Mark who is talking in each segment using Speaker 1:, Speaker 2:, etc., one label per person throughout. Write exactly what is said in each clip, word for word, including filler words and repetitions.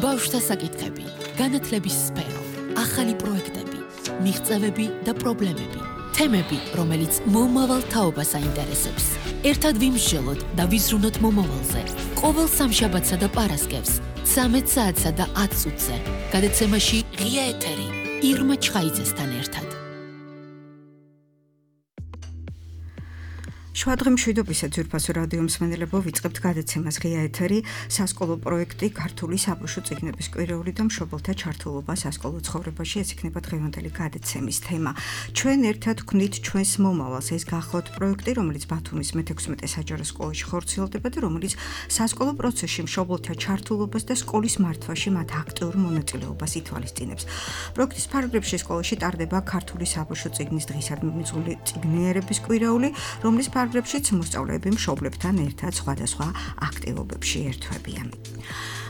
Speaker 1: ბავშვთა საკითხები, განათლების სფერო, ახალი პროექტები, მიღწევები და პრობლემები, თემები, რომელიც მომავალ თაობას აინტერესებს. ერთად ვიმსჯელოთ და ვიზრუნოთ მომავალზე. ყოველ სამშაბათსა და პარასკევს, ცამეტ საათსა და ათ წუთზე. გადაცემაში ღია ეთერი, ირმა ჩხაიძესთან ერთად.
Speaker 2: შვადღე მშვიდობისა ძვირფასო რადიო მსმენელებო, ვიწყებთ გადაცემას ღია ეთერი, სასკოლო პროექტი ქართული საბავშვო წიგნების კვირეული და მშობელთა ჩართულობა სასკოლო ცხოვრებაში. ეს იქნება დღევანდელი გადაცემის თემა. ჩვენ ერთად ვქმნით ჩვენს მომავალს. ეს გახლავთ პროექტი, რომელიც ბათუმის მეთექვსმეტე საჯარო სკოლაში ხორციელდება და რომელიც სასკოლო პროცესში მშობელთა ჩართულობას და სკოლის მართვაში მათ აქტიურ მონაწილეობას ითვალისწინებს. პროექტის ფარგლებში სკოლაში ტარდება ქართული საბავშვო წიგნის დღისადმი მიღწეული წიგნიერების კვირეული, რომლის ფარგლებშიც მოსწავლეები მშობლებთან ერთად სხვადასხვა აქტივობებში ერთვებიან.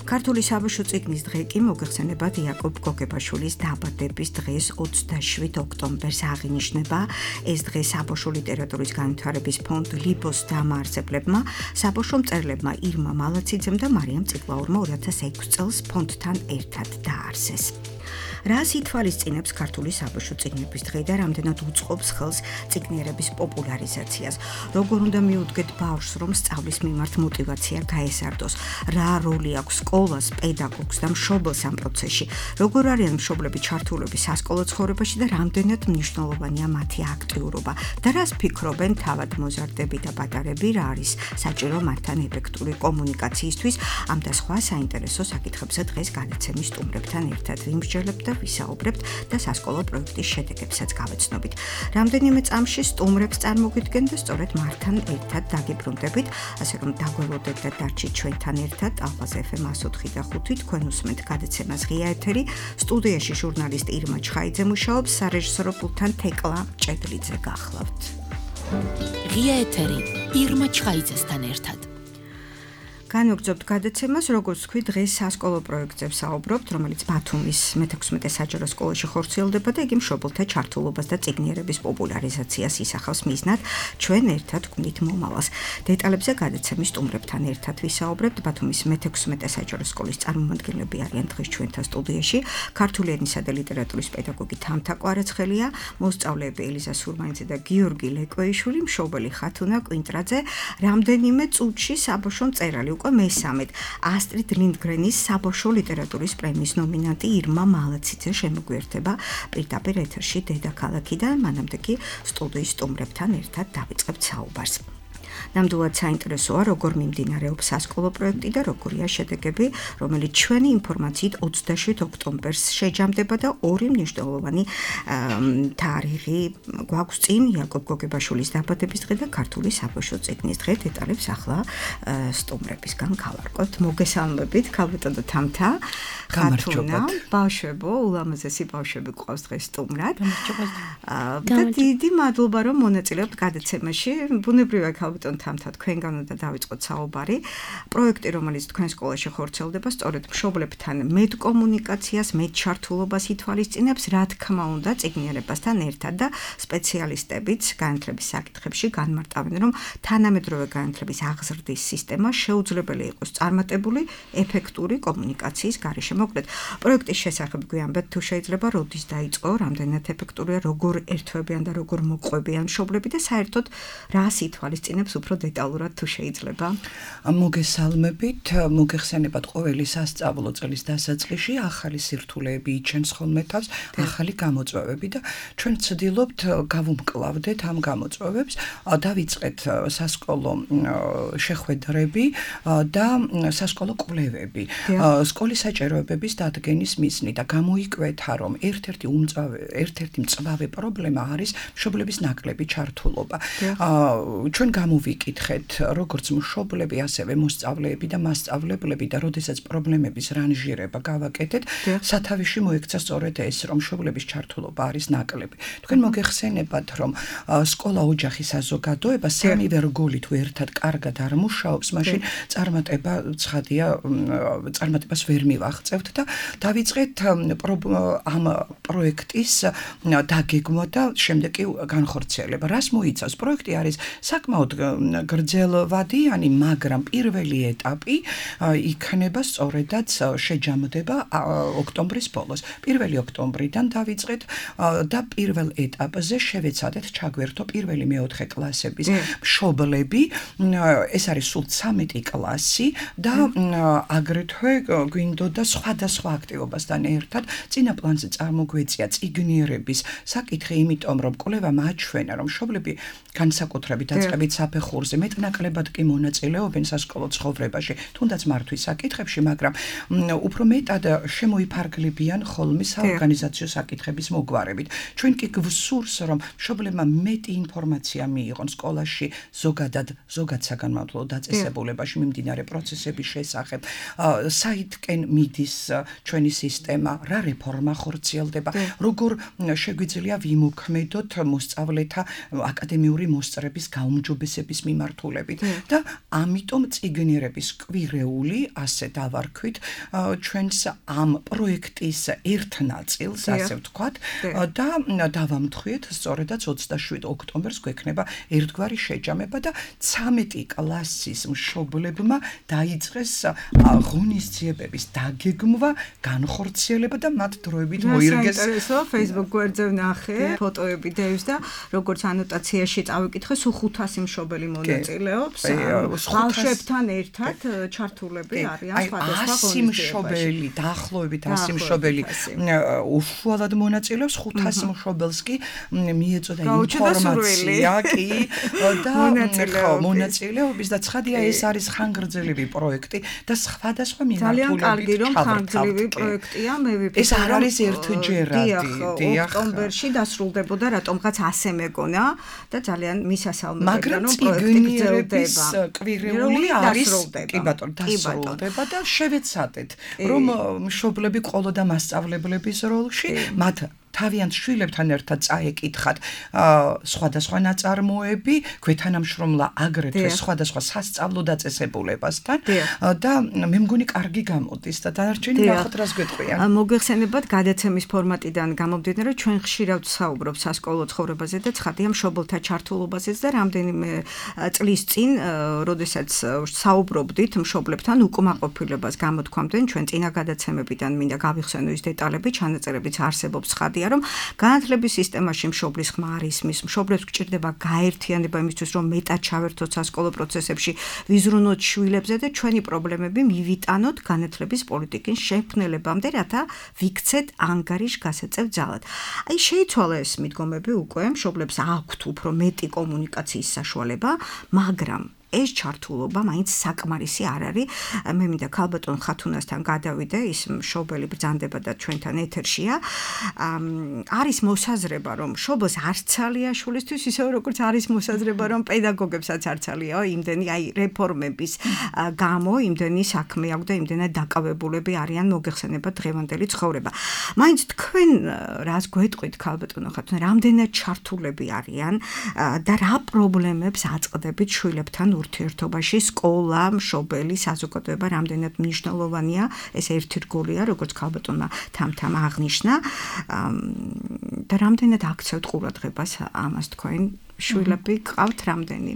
Speaker 2: ქართული საბავშვო წიგნის დღე კი მოგეხსენებათ იაკობ გოგებაშვილის დაბადების დღეს ოცდაშვიდ ოქტომბერს აღინიშნება. ეს დღე საბავშვო ლიტერატურის განვითარების ფონდ ლიბოს დამაარსებლებმა, საბავშვო მწერლებმა ირმა მალაციძემ და მარიამ წიგლაურმა ორი ათას ექვსი წელს ფონდთან ერთად დაარსეს. რას ითვალისწინებს ქართული საბავშვო წიგნების დღე და რამდენად უწყობს ხელს წიგნიერების პოპულარიზაციას? როგორ უნდა მიუდგეთ ბავშვს, რომ სწავლის მიმართ мотиваცია გაესარდოს? რა როლი აქვს სკოლას, პედაგოგს და მშობელს ამ პროცესში? როგორ არიან მშობლები ჩართულები სასკოლო ცხოვრებაში და რამდენად მნიშვნელოვანია მათი აქტიურობა? და რას ფიქრობენ თავად მოზარდები და პატარები, რა არის საჭირო მათთან ეფექტური კომუნიკაციისთვის? ამ და სხვა საინტერესო საკითხებზე დღეს გადაცემის სტუმრებთან ერთად ვიმსჯელებთ და ვისაუბრებთ და სასკოლო პროექტის შედეგებსაც გავეცნობით. რამდენიმე წამში სტუმრებს წარმოგიდგენ და სწორედ მართან ერთად დაგიბრუნდებით, ასე რომ დაგველოდეთ და დარჩით ჩვენთან ერთად. ალყას ეფ ემ εκατო ოთხი და ხუთი თქვენ უსმენთ გადაცემას ღია ეთერი. სტუდიაში ჟურნალისტ ირმა ჩხაიძე მუშაობს, სარეჟისორო პულტთან თეკლა ჭედლიძე გახლავთ.
Speaker 1: ღია ეთერი, ირმა ჩხაიძესთან ერთად.
Speaker 2: განვაგრძობთ გადაცემას, როგორც თქვი, დღეს სასკოლო პროექტზე ვსაუბრობთ, რომელიც ბათუმის მეთექვსმეტე საჯარო სკოლაში ხორციელდება და იგი მშობელთა ჩართულობას და წიგნიერების პოპულარიზაციას ისახავს მიზნად. ჩვენ ერთად ვქმნით მომავალს. დეტალებზე გადაცემის სტუმრებთან ერთად ვისაუბრებთ. ბათუმის მეთექვსმეტე საჯარო სკოლის წარმომადგენლები არიან დღეს ჩვენთან სტუდიაში. ქართული ენისა და ლიტერატურის პედაგოგი თამთა კვარაცხელია, მოსწავლეები ელიზა სურმანიძე და გიორგი ლეკვეიშვილი, მშობელი ხათუნა კვინტრაძე. რამდენიმე წუთში საბავშვო მწერალი უკვე მესამედ ასტრიდ ლინდგრენის საბავშვო ლიტერატურის პრემიის ნომინანტი ირმა მალაციძე შემოგვიერთება პირდაპირ ეთერში დედაქალაქიდან. მანამდე კი სტუდიის სტუმრებთან ერთად დავიწყებთ საუბარს. ნამდვილად საინტერესოა, როგორ მიმდინარეობს სასკოლო პროექტი და როგორია შედეგები, რომელიც ჩვენი ინფორმაციით ოცდაშვიდ ოქტომბერს შეჯამდება და ორი მნიშვნელოვანი თარიღი გვაქვს წინ: იაკობ გოგებაშვილის დაბადების დღე და ქართული საბავშვო წიგნის დღე. დეტალებს ახლა სტუმრებისგან გავარკვევთ. მოგესალმებით, ქალბატონო თამთა.
Speaker 3: გამარჯობა.
Speaker 2: ბავშვებო, ულამაზესი ბავშვები გვყავს დღეს სტუმრად. და დიდი მადლობა, რომ მონაწილეობთ გადაცემაში. ბუნებრივია, ქალბატონო თამთა, თქვენგან უნდა დავიწყოთ საუბარი. პროექტი, რომელიც თქვენ სკოლაში ხორციელდება, სწორედ მშობლებთან მეტ კომუნიკაციას, მეტ ჩართულობას ითვალისწინებს, რა თქმა უნდა, წიგნიერებასთან ერთად და სპეციალისტებიც განათლების საკითხებში განმარტავენ, რომ თანამედროვე განათლების აღზრდის სისტემა შეუძლებელი იყოს წარმატებული, ეფექტური კომუნიკაციის გარეშე. მოკლედ, პროექტის შესახებ გვიამბეთ, თუ შეიძლება, როდის დაიწყო, რამდენად ეფექტურია, როგორ ერთვებიან და როგორ მოყვებიან მშობლები და საერთოდ რას ითვალისწინებს უფრო დეტალურად თუ შეიძლება?
Speaker 3: მოგესალმებით, მოგეხსენებათ ყოველი სასწავლო წლის დასაწყისში ახალი სირთულეები იჩენს ხოლმე თავს, ახალი გამოწვევები და ჩვენ ვცდილობთ გავუმკლავდეთ ამ გამოწვევებს, დავიწყეთ სასკოლო შეხვედრები და სასკოლო კვლევები. სკოლის საჭიროებების დადგენის მიზნით და გამოიკვეთა, რომ ერთ-ერთი უმწვავე, ერთ-ერთი მწვავე პრობლემა არის მშობლების ნაკლები ჩართულობა. ჩვენ გამოვიკითხეთ, როგორც მშობლები, ასევე მოსწავლეები და მასწავლებლები და როდესაც პრობლემების რანჟირება გავაკეთეთ, სათავეში მოექცა სწორედ ეს, რომ მშობლების ჩართულობა არის ნაკლები. თქვენ მოგეხსენებათ, რომ სკოლა ოჯახი საზოგადოება სამივე რგოლი თუ ერთად კარგად არ მუშაობს, მაშინ წარმატება ცხადია, წარმატებას ვერ მივაღწევთ და დავიწყეთ ამ პროექტის დაგეგმვა და შემდეგ კი განხორციელება. რას მოიცავს? პროექტი არის საკმაოდ გრძელვადიანი, მაგრამ პირველი ეტაპი იქნება სწორედაც შეჯამდება ოქტომბრის ბოლოს. პირველი ოქტომბრიდან დავიწყეთ და პირველ ეტაპზე შევეცადეთ ჩაგვერთო პირველი მეოთხე კლასების მშობლები. ეს არის სულ ცამეტი კლასი და აგრეთვე გვინდოდა სხვადასხვა აქტივობასთან ერთად წინა პლანზე წარმოგვეწია წიგნიერების საკითხი, იმიტომ რომ კვლევა მაჩვენა, რომ მშობლები განსაკუთრებით დაწყებით საფეხურზე მეტნაკლებად კი მონაწილეობენ სასკოლო ცხოვრებაში, თუნდაც მართვის საკითხებში, მაგრამ უფრო მეტად შემოიფარგლებიან ხოლმე საორგანიზაციო საკითხების მოგვარებით. ჩვენ კი გვსურს, რომ მშობლებმა მეტი ინფორმაცია მიიღონ სკოლაში ზოგადად ზოგად საგანმანათლებლო დაწესებულებაში მიმდინარე პროცესების შესახებ, საითკენ მიდის ჩვენი სისტემა, რა რეფორმა ხორციელდება, როგორ შეგვიძლია ვიმოქმედოთ მოსწავლეთა აკადემიური მოსწრების გაუმჯობესების მიმართულებით და ამიტომ წიგნიერების კვირეული, ასე დავარქვით, ჩვენს ამ პროექტის ერთ ნაწილს, ასე ვთქვათ, და დავამთხვიეთ სწორედაც ოცდაშვიდ ოქტომბერს გვექნება ერთგვარი შეჯამება და ცამეტი კლასის მშობლებმა დაიწყეს ღონისძიებების დაგეგმვა, განხორციელება და მათ დროებით მოირგეს.
Speaker 2: საინტერესო, Facebook გვერდზე ვნახე ფოტოები დევს და როგორც ანოტაციაში წავიკითხე, სულ ხუთასი მშობელი მონაწილეობს. ბავშვებთან ერთად ჩართულები არიან სხვადასხვა
Speaker 3: ასი მშობელი, დაახლოებით ასი მშობელი უშუალოდ მონაწილეობს, ხუთასი მშობელს კი მიეწოდა ინფორმაცია კი და მონაწილეობის და ცხადია ეს არის ხანგრძლივი პროექტი და სხვადასხვა მიმართულებით
Speaker 2: ძალიან კარგი რომ ხანგრძლივი პროექტია, მე ვიფიქრე
Speaker 3: ეს არ არის ერთჯერადი.
Speaker 2: ოქტომბერში დასრულდებოდა, რატომღაც ასე მეგონა და ძალიან მისასალმებელია,
Speaker 3: მაგრამ
Speaker 2: რომ პროექტი
Speaker 3: წიგნიერების კვირეული არის კი ბატონო დასრულდება და შევეცადეთ რომ მშობლები ყოლო და მასწავლებლების როლში მათ თავიანთ შვილებთან ერთად წაეკითხათ სხვადასხვა ნაწარმოები, გვეთანამშრომლა აგრეთვე სხვადასხვა სასწავლო დაწესებულებასთან და მე მგონი კარგი გამოდის და დანარჩენი ნახოთ რას გვეტყვიან.
Speaker 2: მოგეხსენებათ გადაცემის ფორმატიდან გამომდინარე, ჩვენ ხშირად ვსაუბრობთ სასკოლო ცხოვრებაზე და ცხადია მშობელთა ჩართულობაზეც და რამდენიმე წლის წინ, როდესაც საუბრობდით მშობლებთან უკმაყოფილებას გამოთქვამდნენ, ჩვენ წინა გადაცემებიდან მინდა გავიხსენო ის დეტალები, ჩანაწერებიც არსებობს ცხადია რომ განათლების სისტემაში მშობლის ხმა არ ისმის, მშობლებს გჭირდება გაერთიანება იმისთვის, რომ მეტად ჩავერთოთ სასკოლო პროცესებში, ვიზრუნოთ შვილებზე და ჩვენი პრობლემები მივიტანოთ განათლების პოლიტიკის შექმნელებამდე, რათა ვიქცეთ ანგარიშგასაწევ ძალად. აი შეიცვალა ეს მიდგომები უკვე, მშობლებს აქვთ უფრო მეტი კომუნიკაციის საშუალება, მაგრამ ეს ჩართულობა მაინც საკმარისი არ არის. მე მინდა ქალბატონ ხათუნასთან გადავიდე, ის მშობელი ბრძანდება და ჩვენთან ეთერშია. არის მოსაზრება, რომ მშობელს არ ცალია შვილისთვის, ისე როგორც არის მოსაზრება, რომ პედაგოგებსაც არ ცალიაო, იმდენი აი რეფორმების გამო, იმდენი საქმე აქვს და იმდენად დაკავებულები არიან მოგეხსენებათ დღევანდელი ცხოვრება. მაინც თქვენ რას გვეტყვით ქალბატონო ხათუნა, რამდენად ჩართულები არიან და რა პრობლემებს აწყდებით შვილებთან ურთიერთობაში, სკოლა, მშობელი, საზოგადოება რამდენად მნიშვნელოვანია, ეს ერთი რგოლია, როგორც ქალბატონმა თამ-თამ აღნიშნა და რამდენად აქცევთ ყურადღებას ამას თქვენ შვილები გყავთ რამდენი?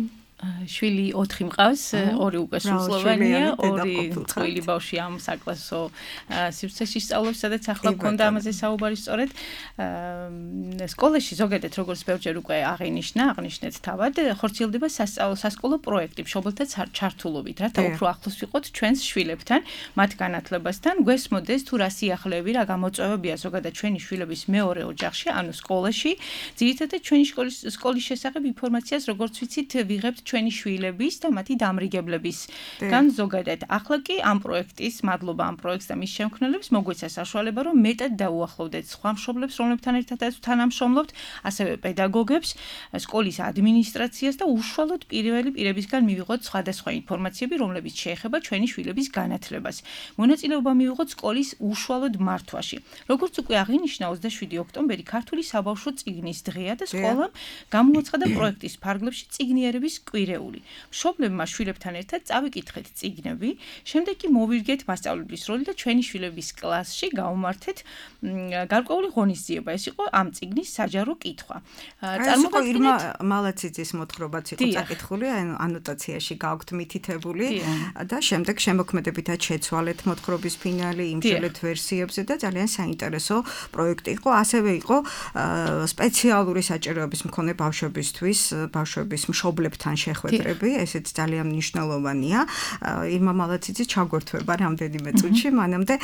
Speaker 4: შვილი ოთხი მყავს, ორი უკვე სრულწლოვანია, ორი წყვილი ბავშვი ამ საკლასო სივრცეში სწავლობს, სადაც ახლა გქონდა ამაზე საუბარი სწორედ. სკოლაში ზოგადად როგორც ბევრჯერ უკვე აღინიშნა, აღნიშნეთ თავად, ხორციელდება სასკოლო პროექტი მშობელთა ჩართულობით, რათა უფრო ახლოს ვიყოთ ჩვენს შვილებთან, მათ განათლებასთან, გვესმოდეს თუ რა სიახლეები, რა გამოწვევებია ზოგადად ჩვენი შვილების მეორე ოჯახში, ანუ სკოლაში, ძირითადად ჩვენი სკოლის შესახებ ინფორმაციას, როგორც ვიცით, ვიღებთ ჩვენი შვილების და მათი დამრიგებლების გან ზოგადად. ახლა კი ამ პროექტის, მადლობა ამ პროექტს და მის შემქმნელებს მოგვეცა საშუალება, რომ მეტად დაუახლოვდეთ სხვა მშობლებს, რომლებთან ერთადაც თანამშრომლობთ, ასევე პედაგოგებს, სკოლის ადმინისტრაციას და უშუალოდ პირველი პირებისგან მივიღოთ სხვადასხვა ინფორმაციები, რომლებიც შეეხება ჩვენი შვილების განათლებას. მონაწილეობა მივიღოთ სკოლის უშუალოდ მართვაში. როგორც უკვე აღინიშნა, ოცდაშვიდი ოქტომბერი ქართული საბავშვო წიგნის დღეა და სკოლამ გამოაცხადა პროექტის ფარგლებში წიგნიერების კვირეული. მშობლებმა შვილებთან ერთად წავიკითხეთ წიგნები, შემდეგ კი მოვირგეთ მასწავლებლის როლი და ჩვენი შვილების კლასში გავუმართეთ გარკვეული ღონისძიება. ეს იყო ამ წიგნის საჯარო კითხვა.
Speaker 2: წარმოგიდგენთ ირმა მალაციძის მოთხრობაც იყო წაკითხული, ანოტაციაში გაქვთ მითითებული და შემდეგ შემოქმედებითად შეცვალეთ მოთხრობის ფინალი, იმსჯელეთ ვერსიებზე და ძალიან საინტერესო პროექტი იყო. ასევე იყო სპეციალური საჭიროების მქონე ბავშვებისთვის, ბავშვების მშობლებთან შეხვედრები, ესეც ძალიან მნიშვნელოვანია. ირმა მალაციძე ჩაგვერთვება რამდენიმე წუთში, მანამდე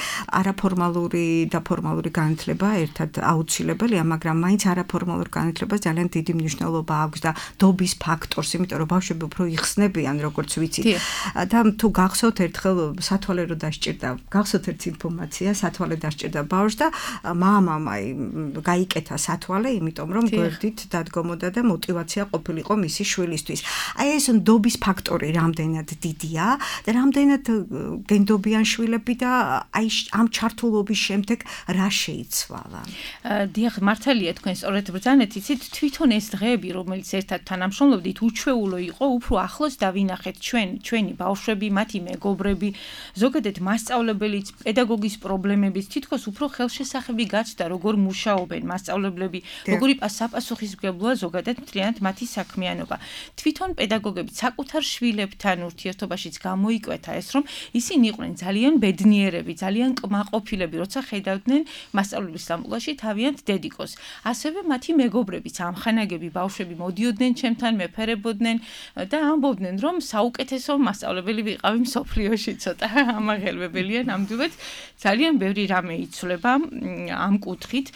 Speaker 2: არაფორმალური და ფორმალური განათლება ერთად აუცილებელია, მაგრამ მაინც არაფორმალურ განათლებას ძალიან დიდი მნიშვნელობა აქვს და დობის ფაქტორს, იმიტომ რომ ბავშვები უფრო იხსნებიან, როგორც ვიცით. და თუ გახსოვთ ერთხელ სათვალე რო დასჭირდა, გახსოვთ ერთ ინფორმაცია, სათვალე დასჭირდა ბავშვს და მამამ აი გაიკეთა სათვალე, იმიტომ რომ გვერდით დადგომოდა და мотиваცია ყოფილიყო მისი შვილისთვის. აი ეს დობის ფაქტორი რამდენად დიდია და რამდენად გენდობიან შვილები და აი ამ ჩართულობის შემდეგ რა შეიცვალა.
Speaker 4: დიახ, მართალია თქვენ სწორედ ბრძანეთ, იცით, თვითონ ეს დღეები, რომელიც ერთად თანამშრომლობდით, უჩვეულო იყო, უფრო ახლოს დავინახეთ ჩვენ, ჩვენი ბავშვები, მათი მეგობრები, ზოგადად მასწავლებელიც, პედაგოგის პრობლემებიც, თითქოს უფრო ხელშესახები გაცდა, როგორ მუშაობენ მასწავლებლები, როგორი საპასუხისმგებლოა ზოგადად მთლიანად მათი საქმიანობა. თვითონ პედაგოგები საკუთარ შვილებთან ურთიერთობაშიც გამოიკვეთა ეს, რომ ისინი იყვნენ ძალიან ბედნიერები, ძალიან კმაყოფილები, როცა ხედავდნენ მასწავლებლის სამყაროში თავიანთ დედიკოს. ასევე მათი მეგობრებიც, ამხანაგები ბავშვები მოდიოდნენ ჩემთან, მეფერებოდნენ და ამბობდნენ, რომ საუკეთესო მასწავლებელი ვიყავი მსოფლიოში, ცოტა ამაღელვებელია ნამდვილად. ძალიან ბევრი რამე იცვლება ამ კუთხით,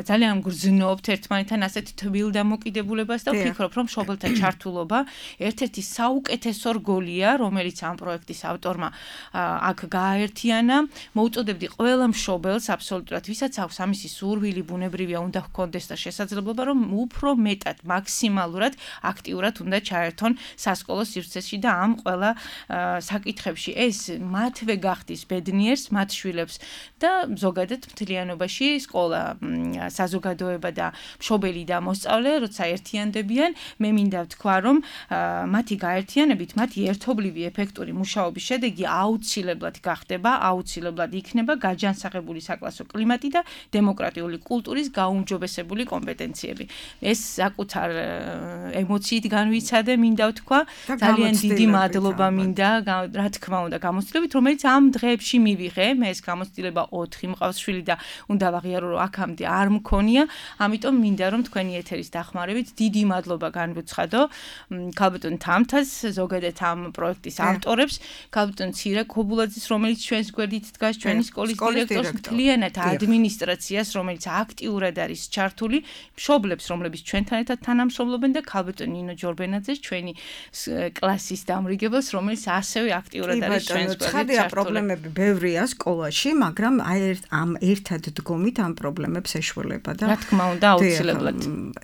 Speaker 4: ძალიან გრძნობთ ერთმანეთთან ასეთ თბილ დამოკიდებულებას და ვფიქრობ, რომ მშობელთა ჩართულობა ერთ-ერთი საუკეთესო რგოლია, რომელიც ამ პროექტის ავტორმა აქ გააერთიანა. მოუწოდებდი ყველა მშობელს აბსოლუტურად, ვისაც აქვს ამისი სურვილი, ბუნებრივია უნდა ჰქონდეს და შესაძლებლობა, რომ უფრო მეტად, მაქსიმალურად აქტიურად უნდა ჩაერთონ სასკოლო სივრცეში და ამ ყველა საკითხებში ეს მათვე გახდის ბედნიერს, მათ შვილებს და ზოგადად მთლიანობაში სკოლა, საზოგადოება და მშობელი და მოსწავლე, როცა ერთიანდებიან, მე მინდა ვთქვა, რომ მათი გაერთიანებით, მათი ერთობლივი ეფექტური მუშაობის შედეგი აუცილებლად გახდება, აუცილებლად იქნება გაჯანსაღებული საკლასო კლიმატი და დემოკრატიული კულტურის გაუმჯობესებული კომპეტენციები. ეს საკუთარ ემოციით განვიცადე, მინდა ვთქვა, ძალიან დიდი მადლობა მინდა, რა თქმა უნდა, გამოცდილებით, რომელიც ამ დღეებში მივიღე, მე ეს გამოცდილება ოთხი მყავს შვილი და უნდა ვაღიარო, რომ აქამდე არ მქონია, ამიტომ მინდა რომ თქვენი ეთერის დახმარებით დიდი მადლობა განვუცხადო ქალბატონ თამთას, ზოგადად ამ პროექტის ავტორებს, ქალბატონ ცირა ქობულაძის, რომელიც ჩვენს გვერდით დგას, ჩვენი სკოლის დირექტორს, მთლიანად ადმინისტრაციას, რომელიც აქტიურად არის ჩართული, მშობლებს, რომლებიც ჩვენთან ერთად თანამშრომლობენ და ქალბატონ ნინო ჯორბენაძეს, ჩვენი კლასის დამრიგებელს, რომელიც ასევე აქტიურად არის ჩვენს გვერდით ჩართული.
Speaker 2: ცხადია, პრობლემები ბევრია სკოლაში, მაგრამ აი ამ ერთად დგომით ამ პრობლემებს ეშველება და
Speaker 4: რა თქმა უნდა, აუცილებლად.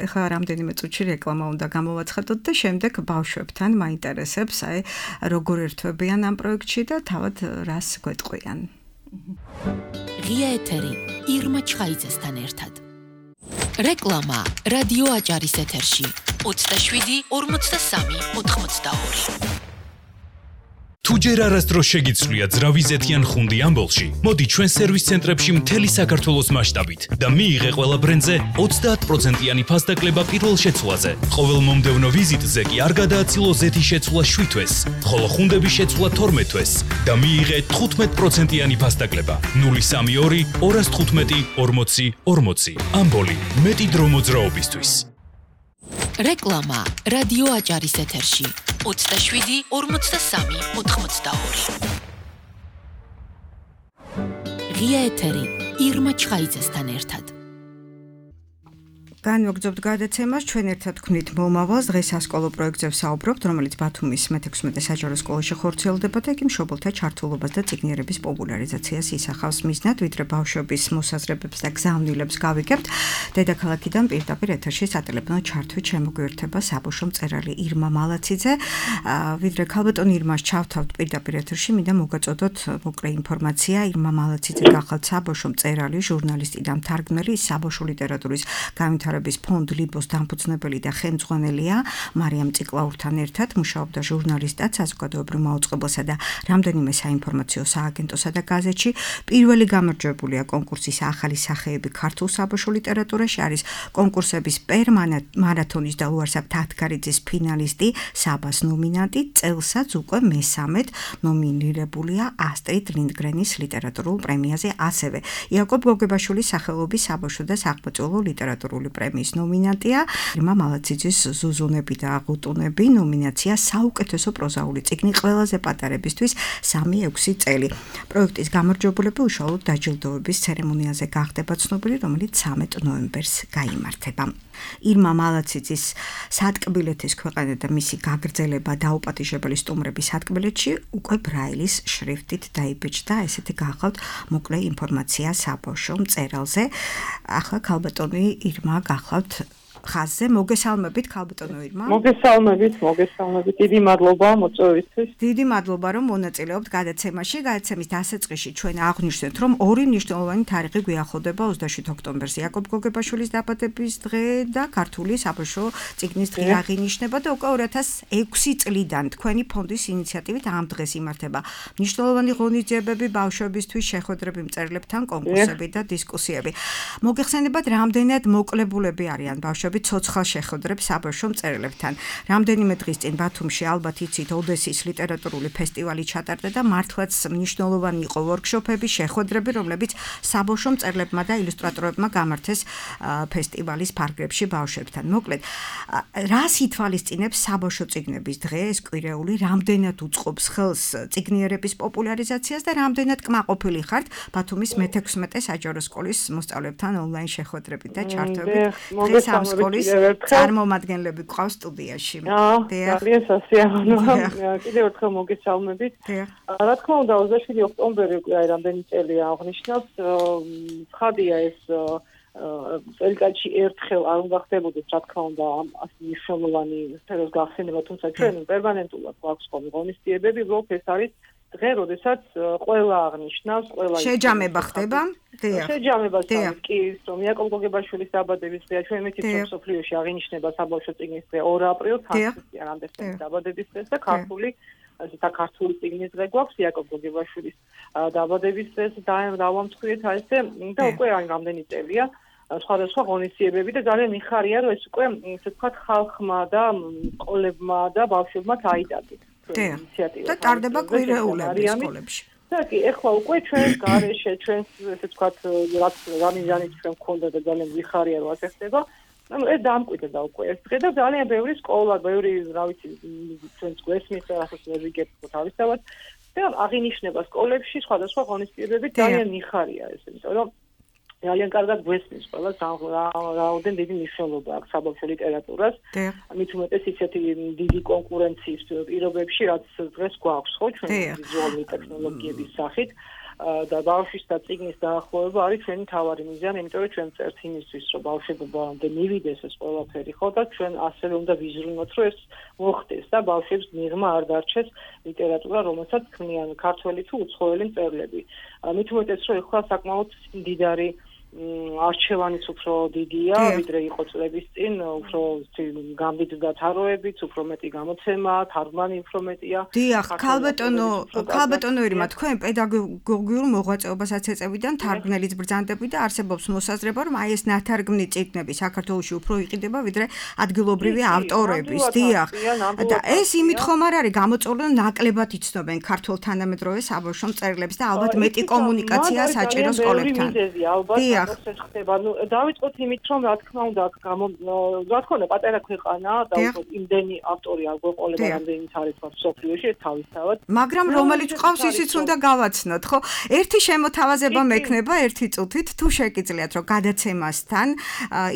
Speaker 2: ეხლა რამდენიმე წუთში რეკლამა უნდა გამოვაცხადოთ და შემდეგ ბავშვებთან მაინტერესებს, აი როგორ ერთვებიან ამ პროექტში და თავად რას გვეტყვიან.
Speaker 1: ღია ეთერი ირმა ჩხაიძესთან ერთად. რეკლამა რადიო აჭარის ეთერში ოცდაშვიდი ორმოცდასამი ოთხმოცდაორი.
Speaker 5: თუ ჯერ არასდროს შეგიცვლია ძრავიზეთიან ხუნდი ამბოლში, მოდი ჩვენ სერვის ცენტრებში მთელი საქართველოს მასშტაბით და მიიღე ყველა ბრენდზე ოცდაათ პროცენტიანი ფასდაკლება პირველ შეცვლაზე. ყოველ მომდევნო ვიზიტზე კი არ გადააცილო ზეთის შეცვლა შვიდ თვეს, ხოლო ხუნდების შეცვლა თორმეტ თვეს და მიიღე თხუთმეტ პროცენტიანი ფასდაკლება. ნული სამი ორი ორას თხუთმეტი ორმოცი ორმოცი. ამბოლი, მეტი დრო მოძრაობისთვის.
Speaker 1: რეკლამა რადიო აჭარის ეთერში ოცდაშვიდი ორმოცდასამი ოთხმოცდაორი. ღია ეთერი ირმა ჩხაიძესთან ერთად.
Speaker 2: განვაგრძობთ გადაცემას, ჩვენ ერთად ვქმნით მომავალს, დღეს სასკოლო პროექტზე ვსაუბრობთ, რომელიც ბათუმის მეთექვსმეტე საჯარო სკოლაში ხორციელდება და იგი მშობელთა ჩართულობას და წიგნიერების პოპულარიზაციას ისახავს მიზნად, ვიდრე ბავშვების მოსაზრებებს და გზავნილებს გავიგებთ. დედაქალაქიდან პირდაპირ ეთერში სატელეფონო ჩართვით შემოგვიერთება საბავშვო მწერალი ირმა მალაციძე. ვიდრე ქალბატონ ირმას ჩავთავთ პირდაპირ ეთერში, მინდა მოგაწოდოთ მოკლე ინფორმაცია. ირმა მალაციძე გახლავთ საბავშვო მწერალი, ჟურნალისტი და მთარგმნელი საბავშვო ლიტერატურის განვითარების განვითარების ფონდ ლიბოს დამფუძნებელი და ხელმძღვანელია. მარიამ ციკლაურთან ერთად მუშაობდა ჟურნალისტად საზოგადოებრივ მაუწყებელსა და რამდენიმე საინფორმაციო სააგენტოსა და გაზეთში. პირველი გამარჯვებულია კონკურსის ახალი სახეები ქართულ საბავშვო ლიტერატურაში არის კონკურსების პერმარათონის და უარსაბ თათგარიძის ფინალისტი, საბას ნომინანტი, წელსაც უკვე მესამედ ნომინირებულია ასტრიდ ლინდგრენის ლიტერატურულ პრემიაზე, ასევე იაკობ გოგებაშვილის სახელობის საბავშვო და საყმაწვილო ლიტერატურული პრემიის ნომინანტია. ირმა მალაციძის ზუზუნები და აღუტუნები ნომინაცია საუკეთესო პროზაული წიგნი ყველაზე პატარებისთვის სამი ექვსი წელი. პროექტის გამარჯვებულები უშუალოდ დაჯილდოების ცერემონიაზე გახდება ცნობილი, რომელიც სამი ნოემბერს გაიმართება. ირმა მალაციძის სატკბილეთის ქვეყანა და მისი გაგრძელება დაუპატიჟებელი სტუმრების სატკბილეთში უკვე ბრაილის შრიფტით დაიბეჭდა. ესეთი გახავთ მოკლე ინფორმაცია საბავშვო მწერალზე. ახლა ქალბატონი ირმა გახავთ ხაზზე. მოგესალმებით ქალბატონო ირმა.
Speaker 6: მოგესალმებით, მოგესალმებით. დიდი მადლობა მოწვევისთვის.
Speaker 2: დიდი მადლობა რომ მონაწილეობთ გადაცემაში. გადაცემის დასაწყისში ჩვენ აღვნიშნეთ, რომ ორი მნიშვნელოვანი თარიღი გვიახლოვდება ოცდაშვიდ ოქტომბერს. იაკობ გოგებაშვილის დაბადების დღე და ქართული საბავშვო წიგნის დღე აღინიშნება და უკვე ორი ათას ექვსი წლიდან თქვენი ფონდის ინიციატივით ამ დღეს იმართება მნიშვნელოვანი ღონისძიებები ბავშვებისთვის, შეხვედრები მწერლებთან, კონკურსები და დისკუსიები. მოგეხსენებათ, რამდენად მოკლებულები არიან ბავშვები ცოცხალ შეხვედრებს საბავშვო მწერლებთან. რამდენიმე დღის წინ ბათუმში ალბათ იცით ოდესის ლიტერატურული ფესტივალი ჩატარდა და მართლაც მნიშვნელოვანი იყო ვორქშოპები, შეხვედრები, რომლებიც საბავშვო მწერლებმა და ილუსტრატორებმა გამართეს ფესტივალის ფარგლებში ბავშვებთან. მოკლედ, რას ითვალისწინებს საბავშვო წიგნების დღე, ეს კვირეული, რამდენად უწყობს ხელს წიგნიერების პოპულარიზაციას და რამდენად კმაყოფილი ხართ ბათუმის მეთექვსმეტე საჯარო სკოლის მოსწავლეებთან ონლაინ შეხვედრებით და ჩართვებით. დღეს ამ სკოლის წარმომადგენლები ყავს სტუდიაში.
Speaker 6: ძალიან სასიამოვნოა. კიდევ ერთხელ მოგესალმებით. რა თქმა უნდა, ოცდაშვიდი ოქტომბერი უკვე აი რამდენი წელია აღნიშნავს. ცხადია ეს წელიწადში ერთხელ არ უნდა ხდებოდეს, რა თქმა უნდა, ამ მნიშვნელოვანი სფეროს გახსენება, თუმცა ჩვენ პერმანენტულად გვაქვს ხოლმე ღონისძიებები, უბრალოდ ეს არის დღე, როდესაც ყველა აღნიშნავს, ყველა
Speaker 2: შეჯამება ხდება.
Speaker 6: შეჯამება კი, რომ იაკობ გოგებაშვილის დაბადების დღეა, ჩვენ მეთქი სოფლიოში აღინიშნება საბავშვო წიგნის დღე ორი აპრილს, ხალხის რამდენიმე დაბადების დღეს და ქართული და ქართული წიგნის დღე გვაქვს იაკობ გოგებაშვილის დაბადების დღეს დავამტკვრეთ ასე და უკვე აი რამდენი წელია სხვადასხვა ღონისძიებები და ძალიან მიხარია, რომ ეს უკვე ესე ვთქვათ ხალხმა და სკოლებმა და ბავშვებმა აიტაცეთ.
Speaker 2: და ტარდება კვირეულები სკოლებში.
Speaker 6: და კი, ეხლა უკვე ჩვენ გარეშე, ჩვენ ესე ვთქვათ, რაც რამიზანით ჩვენ გქონდა და ძალიან მიხარია, რომ ასე ხდება. ანუ ეს დამკვიდრდა უკვე ეს დღე და ძალიან ბევრი სკოლა, ბევრი, რა ვიცი, ჩვენს გვესმის რასაც ვიგებთ თავისთავად და აღინიშნება სკოლებში სხვადასხვა ღონისძიებები ძალიან მიხარია ეს, იმიტომ რომ ძალიან კარგად გვესმის ყველა რაოდენ დიდი მნიშვნელობა აქვს საბავშვო ლიტერატურას. მით უმეტეს ისეთი დიდი კონკურენციის პირობებში, რაც დღეს გვაქვს, ხო, ჩვენ ვიზუალური ტექნოლოგიების სახით და ბავშვის და წიგნის დაახლოება არის ჩვენი მთავარი მიზანი, იმიტომ რომ ჩვენ წერთ იმისთვის, რომ ბავშვებამდე მივიდეს ეს ყველაფერი, ხო, და ჩვენ ასევე უნდა ვიზრუნოთ, რომ ეს მოხდეს და ბავშვებს მიღმა არ დარჩეს ლიტერატურა, რომელსაც ქმნიან ქართველი თუ უცხოელი მწერლები. მით უმეტეს, რომ ეხლა საკმაოდ მდიდარი არჩევანიც უფრო დიდია, ვიდრე იყო წლების წინ, უფრო გამდიდრდა თაროებიც, უფრო მეტი გამოცემა, თარგმანი უფრო მეტია.
Speaker 2: დიახ, ქალბატონო, ქალბატონო ირმა, თქვენ პედაგოგიურ მოღვაწეობასაც ეწევიდან თარგმნელის ბრძანდებით და არსებობს მოსაზრება, რომ აი ეს ნათარგმნი წიგნები საქართველოში უფრო იყიდება, ვიდრე ადგილობრივი ავტორების. დიახ. და ეს იმით ხომ არ არის გამოწვეული, რომ ნაკლებად იცნობენ ქართულ თანამედროვე საბავშვო მწერლებს და ალბათ მეტი კომუნიკაცია საჭირო სკოლებთან.
Speaker 6: დიახ. ეს ხდება. ნუ დავიწყოთ იმით, რომ რა თქმა უნდა, რა თქმა უნდა, პატარა ქვეყანა და უფრო იმდენი ავტორი არ გვეყოლება, რამდენიც არის თქვა სოფლიოში, ეს თავისთავად.
Speaker 2: მაგრამ რომელიც ყავს, ისიც უნდა გავაცნოთ, ხო? ერთი შემოთავაზება მექნება ერთი წუთით, თუ შეგიძლიათ, რომ გადაცემასთან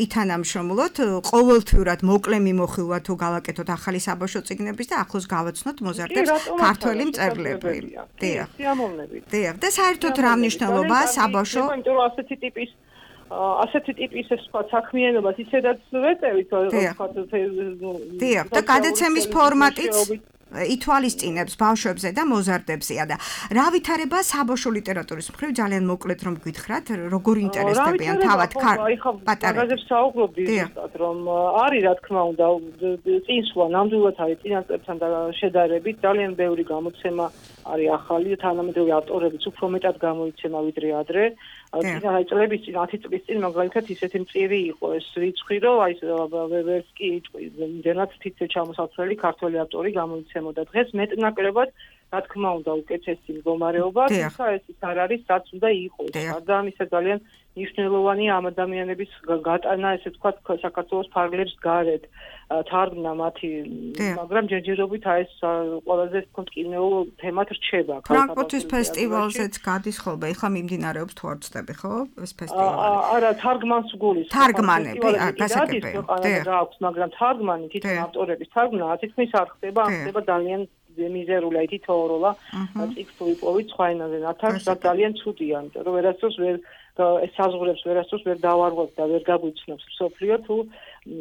Speaker 2: ითანამშრომლოთ, ყოველთვიურად მოკლე მიმოხილვა თუ გავაკეთოთ ახალი საბავშვო წიგნების და ახლოს გავაცნოთ მოზარდებს ქართველი მწერლები.
Speaker 6: დიახ. სიამოვნებით.
Speaker 2: დიახ. და საერთოდ რა მნიშვნელობაა საბავშვო?
Speaker 6: იმიტომ რომ ასეთი ტიპის ასეთი ტიპის ეს თქვა საქმიანობას ისედაც ვეწევით, რომ თქვა
Speaker 2: დიახ, და გადაცემის ფორმატიც ითვალისწინებს ბავშვებზე და მოზარდებზეა და რა ვითარება საბავშვო ლიტერატურის მხრივ ძალიან მოკლედ რომ გითხრათ როგორ ინტერესდებიან თავად
Speaker 6: პატარებს მაგაზებს საუბრობდი ზუსტად რომ არის რა თქმა უნდა წინსვლა ნამდვილად არის წინასწრებთან შედარებით ძალიან ბევრი გამოცემა არის ახალი თანამედროვე ავტორებიც უფრო მეტად გამოიცემა ვიდრე ადრე აი წლების წინ ათი წლის წინ მაგალითად ისეთი მწირი იყო ეს რიცხვი რომ აი ვერს კი იმდენად თითე ჩამოსაცვლელი ქართველი ავტორი გამოიცემოდა დღეს მეტნაკლებად რა თქმა უნდა უკეთესი მდგომარეობა თუმცა ეს ის არ არის რაც უნდა იყოს და ამისა ძალიან მნიშვნელოვანია ამ ადამიანების გატანა ესე ვთქვათ საქართველოს ფარგლებს გარეთ თარგმნა მათი მაგრამ ჯერჯერობით აი ეს ყველაზე ვთქვათ კინეო თემად რჩება
Speaker 2: ფრანკფურტის ფესტივალზეც გადის ხოლმე ეხლა მიმდინარეობს თუ არ ვწდები ხო ეს ფესტივალი
Speaker 6: არა თარგმანს გულის
Speaker 2: თარგმანები გასაგებია
Speaker 6: და აქვს მაგრამ თარგმანი თვითონ ავტორების თარგმნა თითქმის არ ხდება ამ ხდება ძალიან მიზერული აი თითოეულა წიგნს უიპოვით სხვა ენაზე ნათარგმნს და ძალიან ცუდია იმიტომ რომ ვერასდროს ვერ ეს საზღვრებს ვერასდროს ვერ დავარღვევ და ვერ გაგვიცნობს სოფლიო თუ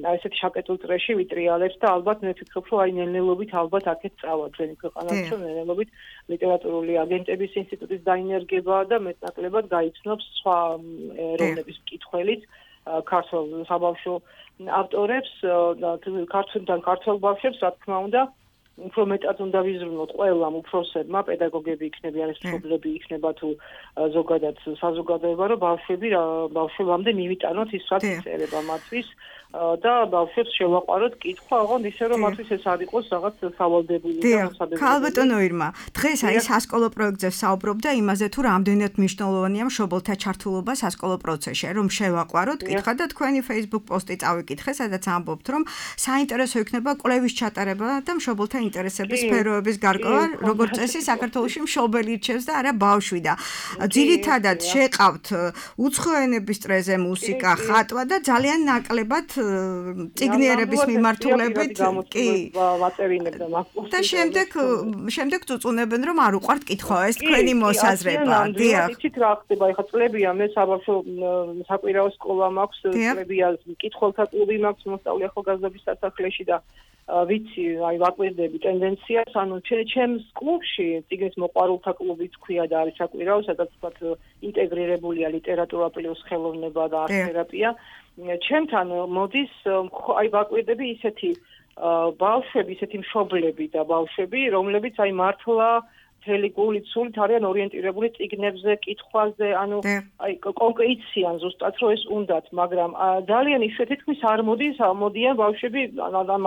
Speaker 6: აი ესეთი შაკეტულ წრეში ვიტრიალებს და ალბათ მე ვფიქრობ რომ აი ნელ-ნელობით ალბათ აქეთ წავა ჩვენი ქვეყანაში რომ ნელ-ნელობით ლიტერატურული აგენტების ინსტიტუტის დაინერგება და მეტნაკლებად გაიცნობს სხვა ეროვნების მკითხველიც ქართულ საბავშვო ავტორებს და ქართულიდან ქართულ ბავშვებს რა თქმა უნდა უფრო მეტად უნდა ვიზრუნოთ ყველამ უფროსებმა პედაგოგები იქნებიან ეს მშობლები იქნება თუ ზოგადად საზოგადოება რომ ბავშვები ბავშვებამდე მივიტანოთ ის რაც იწერება მათთვის და ბავშვებს შევაყვაროთ კითხვა ოღონდ ისე რომ მათთვის ეს არ იყოს რაღაც სავალდებული და მოსადებებელი.
Speaker 2: ქალბატონო ირმა, დღეს აი სასკოლო პროექტზე საუბრობდა იმაზე თუ რამდენად მნიშვნელოვანია მშობელთა ჩართულობა სასკოლო პროცესში, რომ შევაყვაროთ კითხვა და თქვენი Facebook პოსტი წავიკითხე, სადაც ამბობთ რომ საინტერესო იქნება კვლევის ჩატარება და მშობელთა ინტერესების სფეროების გარკვევა, როგორც წესი საქართველოში მშობელი რჩევს და არა ბავშვი და ძირითადად შეყავთ უცხოენების წრეზე მუსიკა, ხატვა და ძალიან ნაკლებად ციგნიერების მიმართულებით კი
Speaker 6: ვაწერინებდა მაგას
Speaker 2: და შემდეგ შემდეგ წუწუნებენ რომ არ უყვართ კითხვა ეს თქვენი მოსაზრება დიახ
Speaker 6: იცით რა ხდება ეხლა წლებია მე საბავშვო საკვირაო სკოლა მაქვს წლებია კითხველთა კლუბი მაქვს მოსწავლე ახალგაზრდობის სასახლეში და ვიცი აი ვაკვირდები ტენდენციას ანუ ჩემს კლუბში ციგნის მოყვარულთა კლუბიც ქვია და არის საკვირაო სადაც ვთქვათ ინტეგრირებულია ლიტერატურა პლუს ხელოვნება და არტ-თერაპია ჩემთან მოდის აი ვაკვირდები ისეთი ბავშვები, ისეთი მშობლები და ბავშვები, რომლებიც აი მართლა მთელი გულით სულით არიან ორიენტირებული წიგნებზე, კითხვაზე, ანუ აი კონკრეტიციან ზუსტად რომ ეს უნდათ, მაგრამ ძალიან იშვიათი თქმის არ მოდის, მოდიან ბავშვები,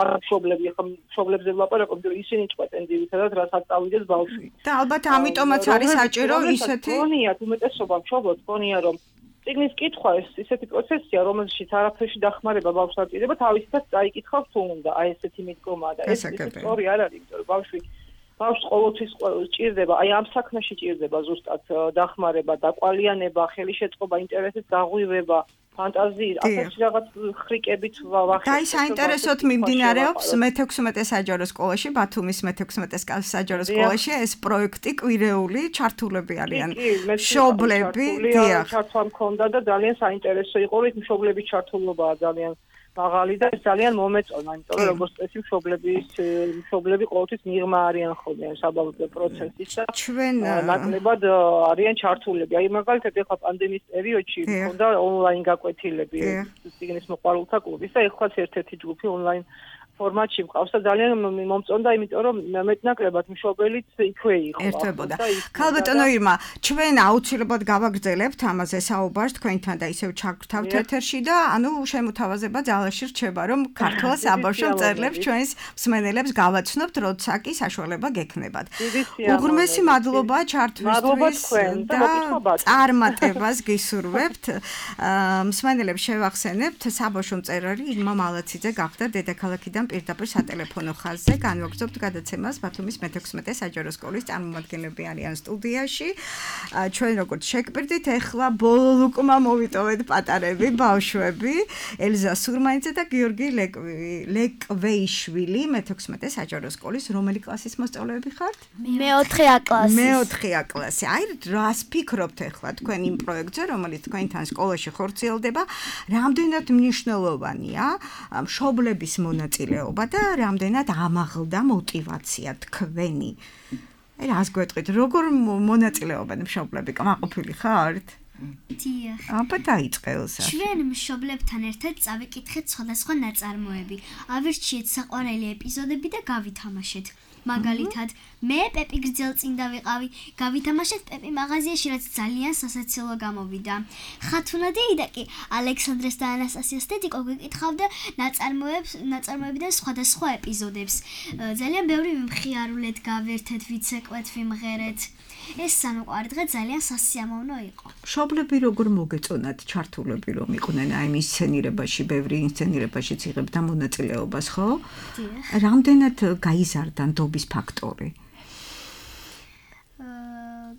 Speaker 6: მაგრამ მშობლები, ახლა მშობლებზე ვლაპარაკობ, რომ ისინი ჭყვეტენ ძირითადად რასაც წავიდეს ბავშვი.
Speaker 2: და ალბათ ამიტომაც არის საჭირო ისეთი
Speaker 6: გონიათ უმეტესობა მშობლებს გონია რომ ციგნის კითხვა ეს ისეთი პროცესია, რომელშიც არაფერში დახმარება ბავშვს არ ჭირდება, თავისთაც წაიკითხავს თუ უნდა, აი ესეთი მიდგომა და ეს სწორი არ არის, იმიტომ რომ ბავშვი ბავშვს ყოველთვის ჭირდება, აი ამ საქმეში ჭირდება ზუსტად დახმარება, დაყვალიანება, ხელი შეწყობა, ინტერესის გაღვივება, ფანტაზიით, ასეთი რაღაც ხრიკებით ვახერხებთ.
Speaker 2: და ის საინტერესოდ მიმდინარეობს მეთექვსმეტე საჯარო სკოლაში, ბათუმის მეთექვსმეტე საჯარო სკოლაში ეს პროექტი კვირეული ჩართულები არიან. მშობლები, დიახ.
Speaker 6: ჩართვა მქონდა და ძალიან საინტერესო იყო, რომ მშობლების ჩართულობაა ძალიან მაღალი და ეს ძალიან მომეწონა, იმიტომ რომ როგორც წესი მშობლების მშობლები ყოველთვის მიღმა არიან ხოლმე საბავშვო პროცესის და
Speaker 2: ჩვენ
Speaker 6: ნაკლებად არიან ჩართულები. აი მაგალითად ეხლა პანდემიის პერიოდში მქონდა ონლაინ გაკვეთილები ციგნის მოყვარულთა კლუბის და ეხლაც ერთ-ერთი ჯგუფი ონლაინ ფორმატში მყავს და ძალიან მომწონდა, იმიტომ რომ მეტნაკლებად მშობელიც იქვე იყო.
Speaker 2: ერთვებოდა. ქალბატონო ირმა, ჩვენ აუცილებლად გავაგრძელებთ ამაზე საუბარს თქვენთან და ისევ ჩაგვრთავთ ეთერში და ანუ შემოთავაზება ძალაში რჩება, რომ ქართულ საბავშვო მწერლებს ჩვენს მსმენელებს გავაცნობთ, როცა კი საშუალება გექნებათ. უღრმესი მადლობა ჩართვისთვის და წარმატებას გისურვებთ. მსმენელებს შევახსენებთ, საბავშვო მწერალი ირმა მალაციძე გახდა დედაქალაქიდან პირდაპირ სატელეფონო ხაზზე განვაგრძობთ გადაცემას ბათუმის მეთექვსმეტე საჯარო სკოლის წარმომადგენლები არიან სტუდიაში. ჩვენ როგორც შეგპირდით, ეხლა ბოლო ლუკმა მოვიტოვეთ პატარები, ბავშვები, ელზა სურმანიძე და გიორგი ლეკვეიშვილი მეთექვსმეტე საჯარო სკოლის რომელი კლასის მოსწავლეები ხართ?
Speaker 7: მეოთხე ა კლასის.
Speaker 2: მეოთხე ა კლასი. აი რას ფიქრობთ ეხლა თქვენ იმ პროექტზე, რომელიც თქვენთან სკოლაში ხორციელდება, რამდენად მნიშვნელოვანია მშობლების მონაწილეობა მონაწილეობა და რამდენად ამაღლდა мотиваცია თქვენი. აი რას გვეტყვით, როგორ მონაწილეობენ მშობლები? კმაყოფილი ხართ?
Speaker 7: დიახ.
Speaker 2: აბა დაიწყელსა.
Speaker 7: ჩვენ მშობლებთან ერთად წავიკითხეთ სხვადასხვა ნაწარმოები, ავირჩიეთ საყვარელი ეპიზოდები და გავითამაშეთ. მაგალითად, მე პეპი გრძელწინდა ვიყავი, გავითამაშეთ პეპი მაღაზიაში, რაც ძალიან სასაცილო გამოვიდა. ხათუნა დეიდა კი ალექსანდრეს და ანასტასიას დედიკო გვიკითხავდა ნაწარმოებს, ნაწარმოებიდან სხვადასხვა ეპიზოდებს. ძალიან ბევრი ვიმხიარულეთ, გავერთეთ, ვიცეკვეთ, ვიმღერეთ. ეს სამოყვარი დღე ძალიან სასიამოვნო იყო.
Speaker 2: მშობლები როგორ მოგეწონათ ჩართულები რომ იყვნენ აი მის სცენირებაში, ბევრი ინსცენირებაშიც იღებდა მონაწილეობას, ხო?
Speaker 7: დიახ.
Speaker 2: რამდენად გაიზარდა ნდობის ფაქტორი?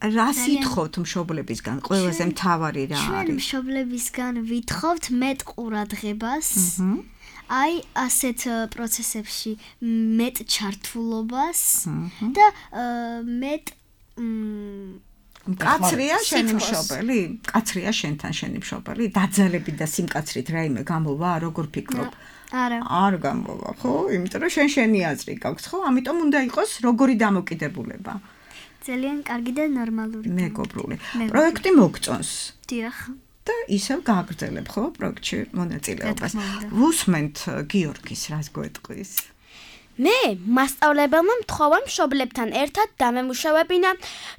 Speaker 2: რა სიტყვით მშობლებისგან ყველაზე მთავარი რა
Speaker 7: ჩვენ
Speaker 2: არის?
Speaker 7: მშობლებისგან ვითხოვთ მეტ ყურადღებას. აი ასეთ პროცესებში მეტ ჩართულობას და მეტ
Speaker 2: კაცრია შენი მშობელი? კაცრია შენთან შენი მშობელი? დაძალებით და სიმკაცრით რაიმე გამოვა, როგორ ფიქრობ?
Speaker 7: არა.
Speaker 2: არ გამოვა, ხო? იმიტომ რომ შენ შენი აზრი გაქვს, ხო? ამიტომ უნდა იყოს როგორი დამოკიდებულება.
Speaker 7: ძალიან კარგი და ნორმალური.
Speaker 2: მეგობრული. პროექტი მოგწონს.
Speaker 7: დიახ.
Speaker 2: და ისევ გააგრძელებ, ხო, პროექტში მონაწილეობას. ვუსმენთ გიორგის რას გვეტყვის?
Speaker 8: მე მასწავლებელმა მთხოვა მშობლებთან ერთად დამემუშავებინა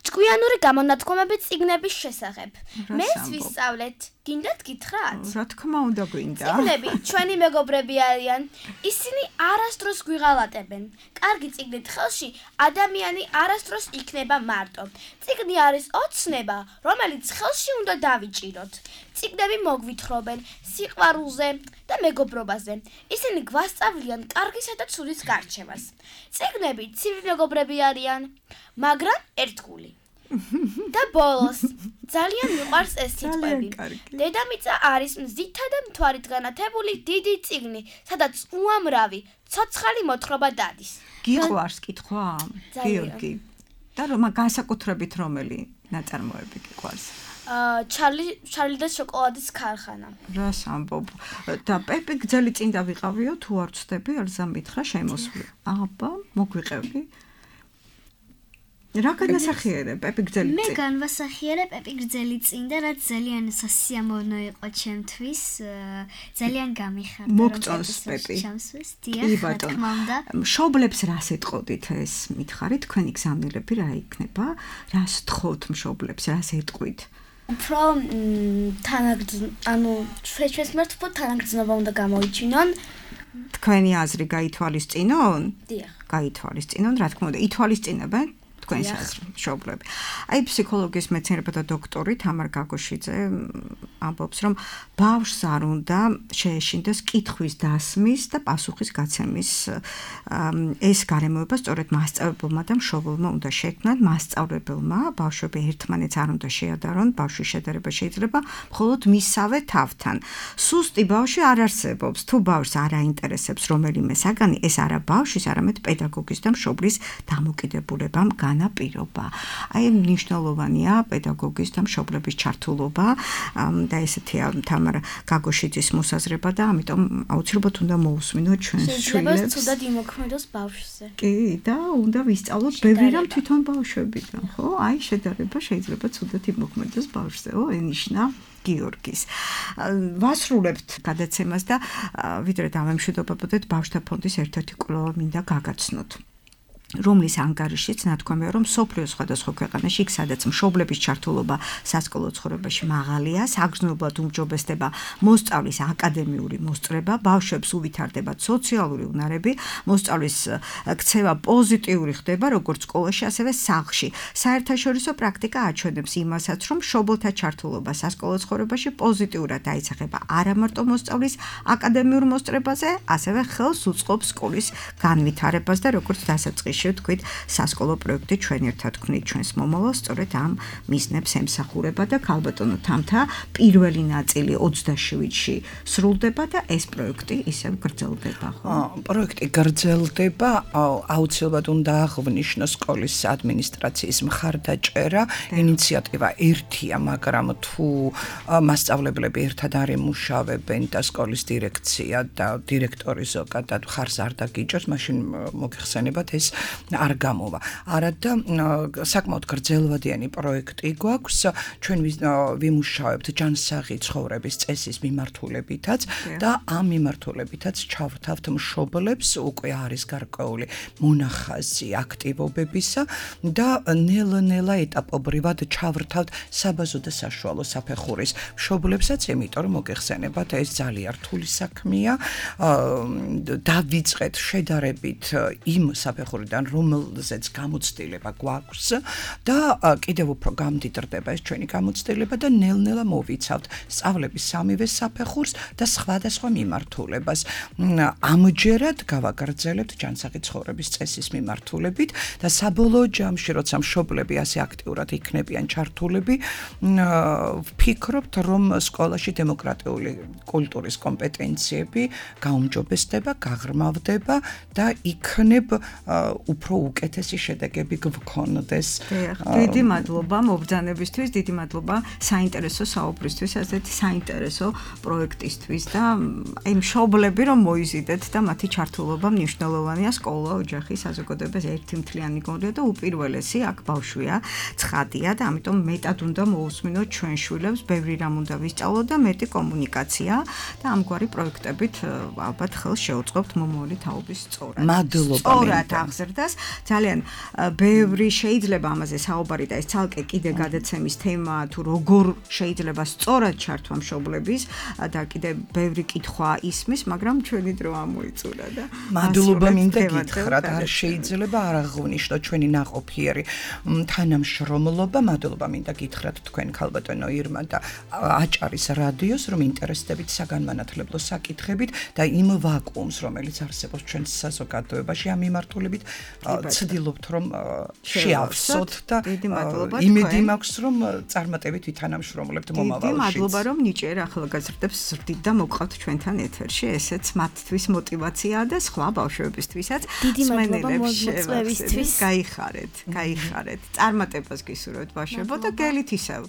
Speaker 8: ჭკვიანური გამონათქვამები წიგნების შესახებ. მე ვისწავლეთ. გინდათ გითხრათ?
Speaker 2: რა თქმა უნდა გვინდა.
Speaker 8: წიგნები ჩვენი მეგობრები არიან. ისინი არასდროს გვიღალატებენ. კარგი წიგნით ხელში ადამიანი არასდროს იქნება მარტო. წიგნი არის ოცნება, რომელიც ხელში უნდა დავიჭიროთ. წიგნები მოგვითხრობენ სიყვარულზე და მეგობრობაზე. ისინი გვასწავლიან კარგისა და ცუდის გარჩევას. წიგნები ცივი მეგობრები არიან, მაგრამ ერთგული. და ბოლოს ძალიან მიყვარს ეს სიტყვები. დედამიწა არის მზითა და მთვარით განათებული დიდი წიგნი, სადაც უამრავი ცოცხალი მოთხრობა დადის.
Speaker 2: გიყვარს კითხვა? გიორგი. და რომ განსაკუთრებით რომელი ნაწარმოები გიყვარს?
Speaker 8: ჩარლი ჩარლი და შოკოლადის ქარხანა.
Speaker 2: რას ამბობ? და პეპი გძელი წინ დავიყავიო თუ არ ვწდები, ალზა მითხრა შემოსვლი. აბა, მოგვიყევი. რა განასახიერებ პეპი გძელი წინ?
Speaker 7: მე განვასახიერებ პეპი გძელი წინ და რაც ძალიან სასიამოვნო იყო ჩემთვის, ძალიან გამიხარდა.
Speaker 2: მოგწონს პეპი.
Speaker 7: დიახ, რა თქმა უნდა.
Speaker 2: მშობლებს რას ეტყოდით ეს მითხარით? თქვენი გზავნილები რა იქნება? რას თხოვთ მშობლებს, რას ეტყვით?
Speaker 8: უფრო თანაგრძნობა, ანუ ჩვენს მერთ უფრო თანაგრძნობა უნდა გამოიჩინონ.
Speaker 2: თქვენი აზრი გაითვალისწინონ?
Speaker 8: დიახ.
Speaker 2: გაითვალისწინონ, რა თქმა უნდა, ითვალისწინებენ თქვენს აზრს მშობლები. აი ფსიქოლოგიის მეცნიერებათა დოქტორი თამარ გაგოშიძე ამბობს, რომ ბავშვს არ უნდა შეეშინდეს კითხვის დასმის და პასუხის გაცემის ეს გარემოება სწორედ მასწავლებელმა და მშობელმა უნდა შექმნან. მასწავლებელმა ბავშვები ერთმანეთს არ უნდა შეადარონ, ბავშვის შედარება შეიძლება მხოლოდ მისავე თავთან. სუსტი ბავშვი არ არსებობს. თუ ბავშვს არ აინტერესებს რომელიმე საგანი, ეს არა ბავშვის, არამედ პედაგოგის და მშობლის დამოკიდებულებამ განაპირობა. აი მნიშვნელოვანია პედაგოგის და მშობლების ჩართულობა და ესეთია თამარ გაგოშიძის მოსაზრება და ამიტომ აუცილებლად უნდა მოусმინოთ ჩვენს შვილებს.
Speaker 8: შეიძლება ცუდად იმოქმედოს ბავშვზე.
Speaker 2: კი, და უნდა ვისწავლოთ ბევრი რამ თვითონ ბავშვებიდან, ხო? აი შედარება შეიძლება ცუდად იმოქმედოს ბავშვზე. ო, ენიშნა გიორგის. ვასრულებთ გადაცემას და ვიდრე დავემშვიდობებოდეთ ბავშვთა ფონდის ერთ-ერთი კვლევა მინდა გაგაცნოთ. რომლის ანგარიშიც ნათქვამია, რომ სოფლიოს სხვადასხვა ქვეყანაში, იქ სადაც მშობლების ჩართულობა სასკოლო ცხოვრებაში მაღალია, საგრძნობლად უმჯობესდება მოსწავლის აკადემიური მოსწრება, ბავშვებს უვითარდებათ სოციალური უნარები, მოსწავლის ქცევა პოზიტიური ხდება როგორც სკოლაში, ასევე სახლში. საერთაშორისო პრაქტიკა აჩვენებს იმასაც, რომ მშობელთა ჩართულობა სასკოლო ცხოვრებაში პოზიტიურად აისახება არა მარტო მოსწავლის აკადემიურ მოსწრებაზე, ასევე ხელს უწყობს სკოლის განვითარებას და როგორც დასაწყისში შემთხვევაში ვთქვით, სასკოლო პროექტი ჩვენ ერთად ვქნით ჩვენს მომავალს, სწორედ ამ მიზნებს ემსახურება და ქალბატონო თამთა პირველი ნაწილი ოცდაშვიდში სრულდება და ეს პროექტი ისევ გრძელდება, ხო?
Speaker 3: პროექტი გრძელდება, აუცილებლად უნდა აღვნიშნოს სკოლის ადმინისტრაციის მხარდაჭერა, ინიციატივა ერთია, მაგრამ თუ მასწავლებლები ერთად არ ემუშავებენ და სკოლის დირექცია და დირექტორი ზოგადად ხარს არ დაგიჭერს, მაშინ მოგეხსენებათ ეს არ გამოვა. არადა საკმაოდ გრძელვადიანი პროექტი გვაქვს, ჩვენ ვიმუშავებთ ჯანსაღი ცხოვრების წესის მიმართულებითაც და ამ მიმართულებითაც ჩავთავთ მშობლებს, უკვე არის გარკვეული მონახაზი აქტივობებისა და ნელ-ნელა ეტაპობრივად ჩავრთავთ საბაზო და საშუალო საფეხურის მშობლებსაც, იმიტომ რომ მოგეხსენებათ ეს ძალიან რთული საქმეა. დავიწყეთ შედარებით იმ საფეხურიდან, რომელზეც გამოცდილება გვაქვს და კიდევ უფრო გამდიდრდება ეს ჩვენი გამოცდილება და ნელ-ნელა მოვიცავთ სწავლების სამივე საფეხურს და სხვადასხვა მიმართულებას. ამჯერად გავაგრძელებთ ჯანსაღი ცხოვრების წესის მიმართულებით და საბოლოო ჯამში, როცა მშობლები ასე აქტიურად იქნებიან ჩართულები, ვფიქრობთ, რომ სკოლაში დემოკრატიული კულტურის კომპეტენციები გაუმჯობესდება, გაღრმავდება და იქნებ უფრო უკეთესი შედეგები გვქონდეს.
Speaker 2: დიდი მადლობა მობრძანებისთვის, დიდი მადლობა საინტერესო საუბრისთვის, ასეთი საინტერესო პროექტისთვის და აი მშობლები რომ მოიზიდეთ და მათი ჩართულობა მნიშვნელოვანია სკოლა, ოჯახი, საზოგადოებას ერთი მთლიანი გონია და უპირველესი აქ ბავშვია, ცხადია და ამიტომ მეტად უნდა მოусმინოთ ჩვენ შვილებს, ბევრი რამ უნდა ვისწავლოთ და მეტი კომუნიკაცია და ამგვარი პროექტებით ალბათ ხელს შეუწყობთ მომავალი თაობის სწორად.
Speaker 3: მადლობა.
Speaker 2: სწორად აღზრდას. ძალიან ბევრი შეიძლება ამაზე საუბარი და ეს ცალკე კიდე გადაცემის თემა თუ როგორ შეიძლება სწორად ჩართვა მშობლების და კიდე ბევრი კითხვა ისმის, მაგრამ ჩვენი დრო ამოიწურა და
Speaker 3: მადლობა მინდა გითხრათ, არ შეიძლება არ აღვნიშნო ჩვენი ნაყოფიერი თანამშრომლობა, მადლობა მინდა გითხრათ თქვენ ქალბატონო ირმა და აჭარის რადიოს, რომ ინტერესდებით საგანმანათლებლო საკითხებით და იმ ვაკუუმს, რომელიც არსებობს ჩვენ საზოგადოებაში ამ მიმართულებით, ცდილობთ რომ შეავსოთ და იმედი მაქვს, რომ წარმატებით ვითანამშრომლებთ მომავალში.
Speaker 2: დიდი მადლობა, რომ ნიჭიერ ახალგაზრდებს ზრდით და მოყავთ ჩვენთან ეთერში, ესეც მათთვის მოტივაციაა და სხვა ბავშვებისთვისაც.
Speaker 7: დიდი მადლობა მოწვევისთვის.
Speaker 2: გაიხარეთ, გაიხარეთ. წარმატებას გისურვებთ ბავშვებო და გელით ისევ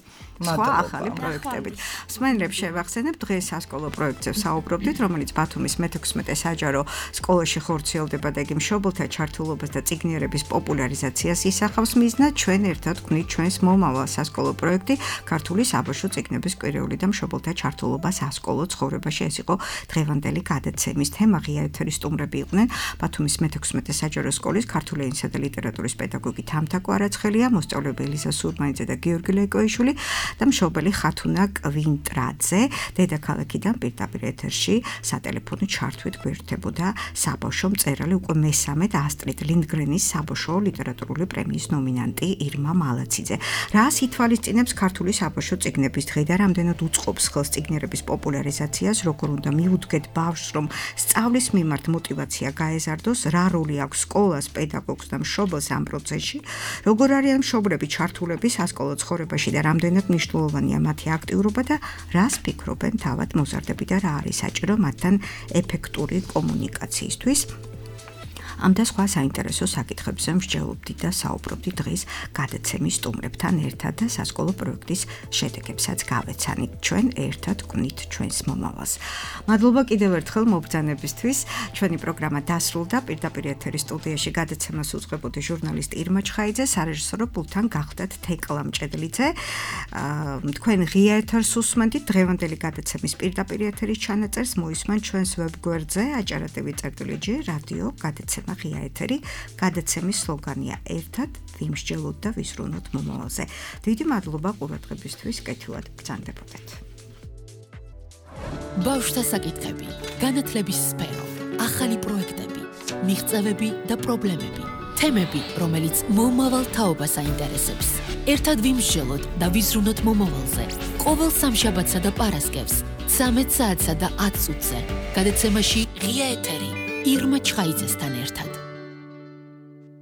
Speaker 2: სხვა ახალი პროექტებით. მსმენელებს შევახსენებ, დღეს სასკოლო პროექტზე საუბრობდით, რომელიც ბათუმის მეთექვსმეტე საჯარო სკოლაში ხორციელდება და იგი მშობელთა ჩართულობას და წიგნიერების პოპულარიზაციას ისახავს მიზნად. ჩვენ ერთად ვქნით ჩვენს მომავალ სასკოლო პროექტი ქართული საბავშვო წიგნების კვირეული და მშობელთა ჩართულობა სასკოლო ცხოვრებაში. ეს იყო დღევანდელი გადაცემის თემა. ღია ეთერის სტუმრები იყვნენ ბათუმის მეთექვსმეტე საჯარო სკოლის ქართული ენისა და ლიტერატურის პედაგოგი თამთა კვარაცხელია, მოსწავლეები ელიზა სურმანიძე და გიორგი ლეკოიშვილი და მშობელი ხათუნა კვინტრაძე. დედაქალაქიდან პირდაპირ ეთერში სატელეფონო ჩართვით გვერდებოდა საბავშვო მწერალი, უკვე მესამე და ასტრიდ ლინდგრენის საბავშვო ლიტერატურული პრემიის ნომინანტი ირმა მალაციძე. რას ითვალისწინებს ქართული საბავშვო წიგნების დღე და რამდენად უწყობს ხელს წიგნიერების პოპულარიზაციას, როგორ უნდა მიუდგეთ ბავშვს, რომ სწავლის მიმართ მოტივაცია გაეზარდოს, რა როლი აქვს სკოლას, პედაგოგს და მშობელს ამ პროცესში, როგორ არიან მშობლები ჩართულები სასკოლო ცხოვრებაში და რამდენად მნიშვნელოვანია მათი აქტიურობა და რას ფიქრობენ თავად მოზარდები და რა არის საჭირო მათთან ეფექტური კომუნიკაციისთვის. ამ და სხვა საინტერესო საკითხებზე მსჯელობდით და საუბრობდით დღეს გადაცემის სტუმრებთან ერთად და სასკოლო პროექტის შედეგებსაც გავეცანით. ჩვენ ერთად ვკვნით ჩვენს მომავალს. მადლობა კიდევ ერთხელ მობრძანებისთვის. ჩვენი პროგრამა დასრულდა. პირდაპირ ეთერის სტუდიაში გადაცემას უძღვებოდი ჟურნალისტი ირმა ჩხაიძე, სარეჟისორო პულტთან გახდათ თეკლა მჭედლიძე. თქვენ ღია ეთერს უსმენთ. დღევანდელი გადაცემის პირდაპირ ეთერის ჩანაწერს მოისმენთ ჩვენს ვებგვერდზე აჭარა.ტვ წერტილი ჯი რადიო გადაცემა ღია ეთერი. გადაცემის სლოგანია ერთად ვიმსჯელოთ და ვიზრუნოთ მომავალზე. დიდი მადლობა ყურადღებისთვის, კეთილად ბრძანდებოდეთ.
Speaker 1: ბავშვთა საკითხები, განათლების სფერო, ახალი პროექტები, მიღწევები და პრობლემები, თემები, რომელიც მომავალ თაობას აინტერესებს. ერთად ვიმსჯელოთ და ვიზრუნოთ მომავალზე. ყოველ სამშაბათსა და პარასკევს, ცამეტ საათსა და ათ წუთზე. გადაცემაში ღია ეთერი ირმა ჩხაიძესთან ერთად.